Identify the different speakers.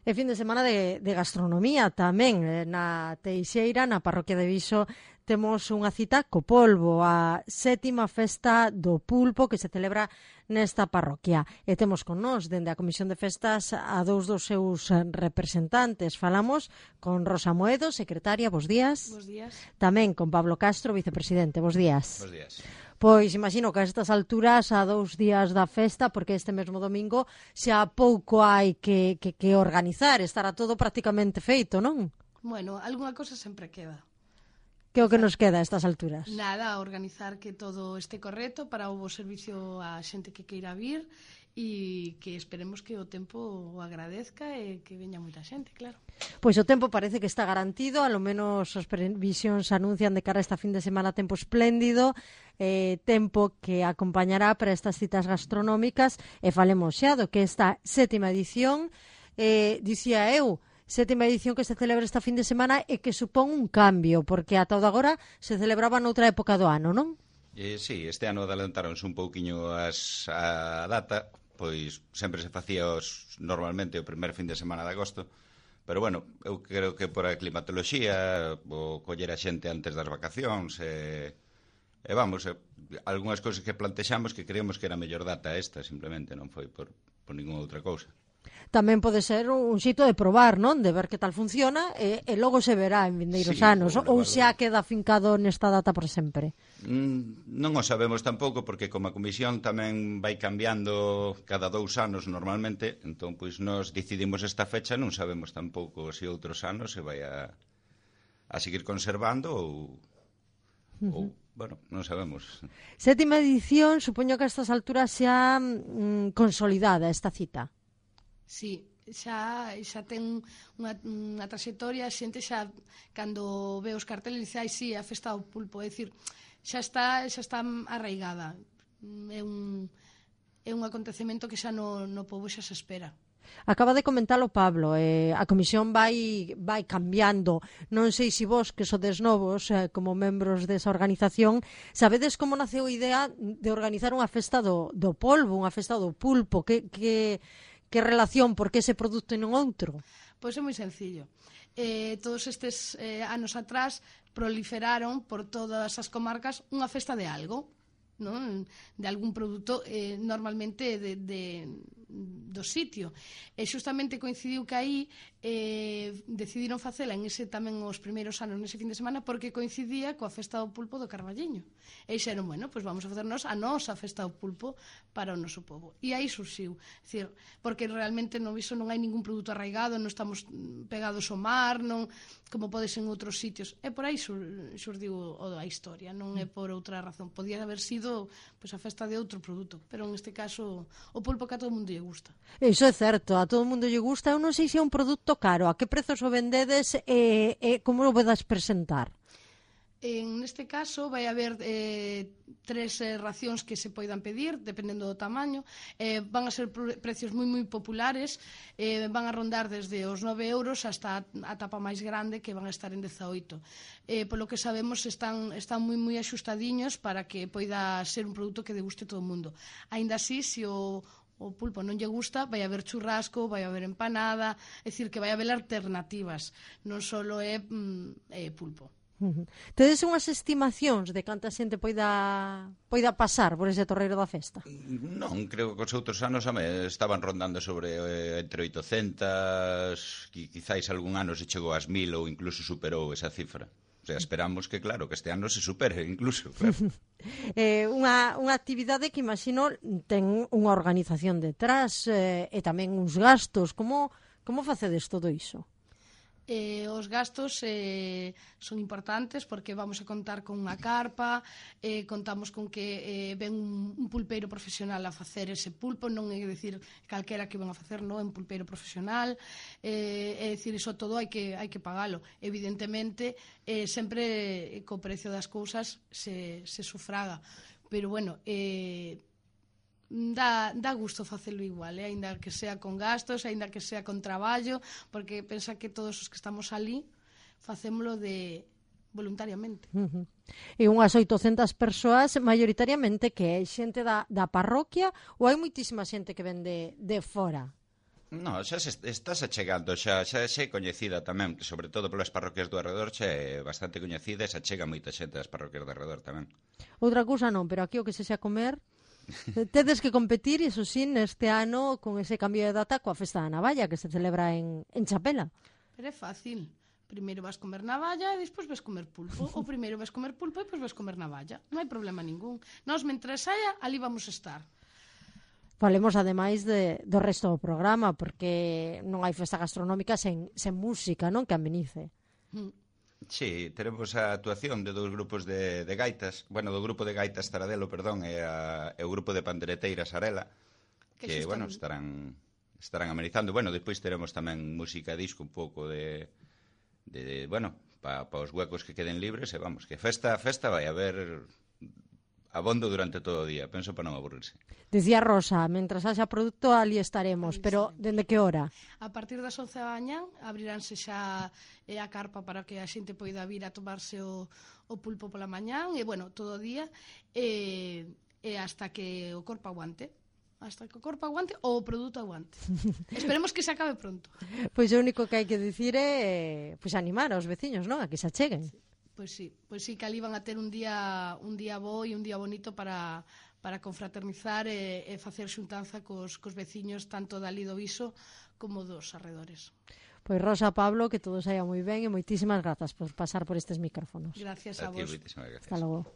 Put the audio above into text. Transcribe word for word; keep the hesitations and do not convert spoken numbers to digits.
Speaker 1: E fin de semana de, de gastronomía tamén. Na Teixeira, na parroquia de Viso, temos unha cita co polvo, a sétima festa do pulpo que se celebra nesta parroquia. E temos con nós, dende a Comisión de Festas, a dous dos seus representantes. Falamos con Rosa Moedo, secretaria, bos días.
Speaker 2: Bos días.
Speaker 1: Tamén con Pablo Castro, vicepresidente, bos días.
Speaker 3: Bos días.
Speaker 1: Pois imagino que a estas alturas, a dous días da festa, porque este mesmo domingo xa pouco hai que, que, que organizar, estará todo prácticamente feito, non?
Speaker 2: Bueno, algunha cosa sempre queda.
Speaker 1: Que é o que nos queda a estas alturas?
Speaker 2: Nada, organizar que todo este correcto para o bo servicio a xente que queira vir e que esperemos que o tempo o agradezca e que veña moita xente, claro.
Speaker 1: Pois o tempo parece que está garantido, a lo menos as previsións anuncian de cara a esta fin de semana tempo espléndido, eh, tempo que acompañará para estas citas gastronómicas, e falemos xa do que esta sétima edición, eh, dicía eu, sétima edición que se celebra esta fin de semana e que supón un cambio, porque ata o de agora se celebraba noutra época do ano, non?
Speaker 3: Eh, sí, este ano adelantaronse un pouquiño as, a data, pois sempre se facía os, normalmente o primer fin de semana de agosto, pero bueno, eu creo que por a climatoloxía, o coller a xente antes das vacacións, e, e vamos, e, algunhas cousas que plantexamos que creemos que era a mellor data esta, simplemente, non foi por, por ninguna outra cousa.
Speaker 1: Tamén pode ser un xito de probar, non? De ver que tal funciona e, e logo se verá en vindeiros
Speaker 3: sí,
Speaker 1: anos, ou
Speaker 3: bueno,
Speaker 1: xa queda fincado nesta data por sempre?
Speaker 3: Mm, non o sabemos tampouco, porque como a comisión tamén vai cambiando cada dous anos normalmente, entón pois nós decidimos esta fecha, non sabemos tampouco se outros anos se vai a, a seguir conservando ou, uh-huh. ou bueno, non sabemos.
Speaker 1: Sétima edición, supoño que a estas alturas xa mm, consolidada esta cita.
Speaker 2: Sí, xa, xa ten unha, unha trayectoria, a xente xa, cando ve os carteles, dice, ai, sí, a festa do pulpo, é dicir, xa está, xa está arraigada. É un, é un acontecemento que xa no, no pobo xa se espera.
Speaker 1: Acaba de comentalo Pablo, eh, a comisión vai, vai cambiando. Non sei se vos, que sodes novos, eh, como membros desa organización, sabedes como naceu a idea de organizar unha festa do, do polvo, unha festa do pulpo, que... que Que relación, por que ese produto e non outro?
Speaker 2: Pois é moi sencillo. Eh, todos estes eh, anos atrás proliferaron por todas as comarcas unha festa de algo, non? De algún produto eh, normalmente de, de, do sitio. E xustamente coincidiu que aí eh, decidiron facela en ese tamén os primeiros anos nese fin de semana porque coincidía coa festa do pulpo do Carballiño. E dixeron, bueno, pois vamos a facernos a nosa festa do pulpo para o noso povo. E aí surxiu, decir, porque realmente no viso non hai ningún produto arraigado, non estamos pegados ao mar, non como podes en outros sitios. E por aí sur, surdiu o da historia, non é por outra razón. Podía haber sido pois a festa de outro produto, pero en este caso o pulpo que a todo mundo lle gusta.
Speaker 1: Iso é certo, a todo mundo lle gusta. Eu non sei se é un produto caro, a que prezos o vendedes e, e como o vedas presentar?
Speaker 2: En este caso vai haber eh, tres eh, racións que se poidan pedir, dependendo do tamaño. Eh, van a ser precios moi moi populares, eh, van a rondar desde os nove euros hasta a tapa máis grande, que van a estar en dezaoito. Eh, polo que sabemos están, están moi moi axustadiños para que poida ser un produto que deguste todo o mundo. Aínda así, se o o pulpo non lle gusta, vai haber churrasco, vai haber empanada, é dicir, que vai haber alternativas, non só é, mm, é pulpo.
Speaker 1: Uh-huh. Tedes unhas estimacións de canta xente poida poida pasar por ese torreiro da festa?
Speaker 3: Non, creo que os outros anos ame, estaban rondando sobre eh, entre oitocentas, qui, quizáis algún ano se chegou ás mil ou incluso superou esa cifra. O sea, esperamos que, claro, que este ano se supere incluso, claro.
Speaker 1: eh, unha, unha actividade que imagino ten unha organización detrás eh, e tamén uns gastos. Como, como facedes todo iso?
Speaker 2: Eh, os gastos eh, son importantes porque vamos a contar con unha carpa, eh, contamos con que eh, ven un, un pulpeiro profesional a facer ese pulpo, non é dicir calquera que ven a facer, non é un pulpeiro profesional, eh, é dicir, iso todo hai que, hai que pagalo. Evidentemente, eh, sempre co precio das cousas se, se sufraga, pero bueno, eh, Dá, dá gusto facelo igual, eh? Ainda que sea con gastos, ainda que sea con traballo, porque pensa que todos os que estamos ali facémolo de voluntariamente.
Speaker 1: Uh-huh. E unhas oitocentas persoas, maioritariamente, que é xente da, da parroquia ou hai moitísima xente que ven de, de fora?
Speaker 3: No, xa se estás achegando, xa, xa é coñecida tamén, sobre todo polas parroquias do arredor, xa é bastante coñecida e xa chega moita xente das parroquias do arredor tamén.
Speaker 1: Outra cousa non, pero aquí o que se xa comer tedes que competir, iso sí, neste ano con ese cambio de data coa festa da navalla que se celebra en, en Chapela.
Speaker 2: Pero é fácil. Primeiro vas comer navalla e despois vas comer pulpo. Ou primeiro vas comer pulpo e despois vas comer navalla. Non hai problema ningún. Nós, mentres saia, ali vamos a estar.
Speaker 1: Falemos ademais de, do resto do programa, porque non hai festa gastronómica sen, sen música, non? Que amenice.
Speaker 2: Mm.
Speaker 3: Sí, teremos a actuación de dous grupos de, de gaitas, bueno, do grupo de gaitas Taradelo, perdón, e, a, e o grupo de pandereteiras Arela, que, que bueno, estarán estarán amenizando. Bueno, despois teremos tamén música disco un pouco de, de, de bueno, para pa os huecos que queden libres, e vamos, que festa, festa vai haber abondo durante todo o día, penso para non aburrirse.
Speaker 1: Dicía Rosa, mentras haxa produto ali estaremos,
Speaker 2: Ali
Speaker 1: pero
Speaker 2: estaremos.
Speaker 1: dende que hora?
Speaker 2: A partir das once da mañá abriránse xa eh, a carpa para que a xente poida vir a tomarse o, o pulpo pola mañá e, bueno, todo o día e, e hasta que o corpo aguante. Hasta que o corpo aguante ou o produto aguante. Esperemos que se acabe pronto.
Speaker 1: Pois o único que hai que dicir é pois animar aos veciños, non? A que se acheguen.
Speaker 2: Pois sí, pois sí que ali van a ter un día un día bo e un día bonito para, para confraternizar e, e facer xuntanza cos, cos veciños tanto dali do Viso como dos arredores.
Speaker 1: Pois Rosa, Pablo, que todo saia moi ben e moitísimas grazas por pasar por estes micrófonos.
Speaker 2: Gracias a,
Speaker 3: A ti,
Speaker 2: vos.
Speaker 3: moitísimas gracias.
Speaker 1: Hasta logo.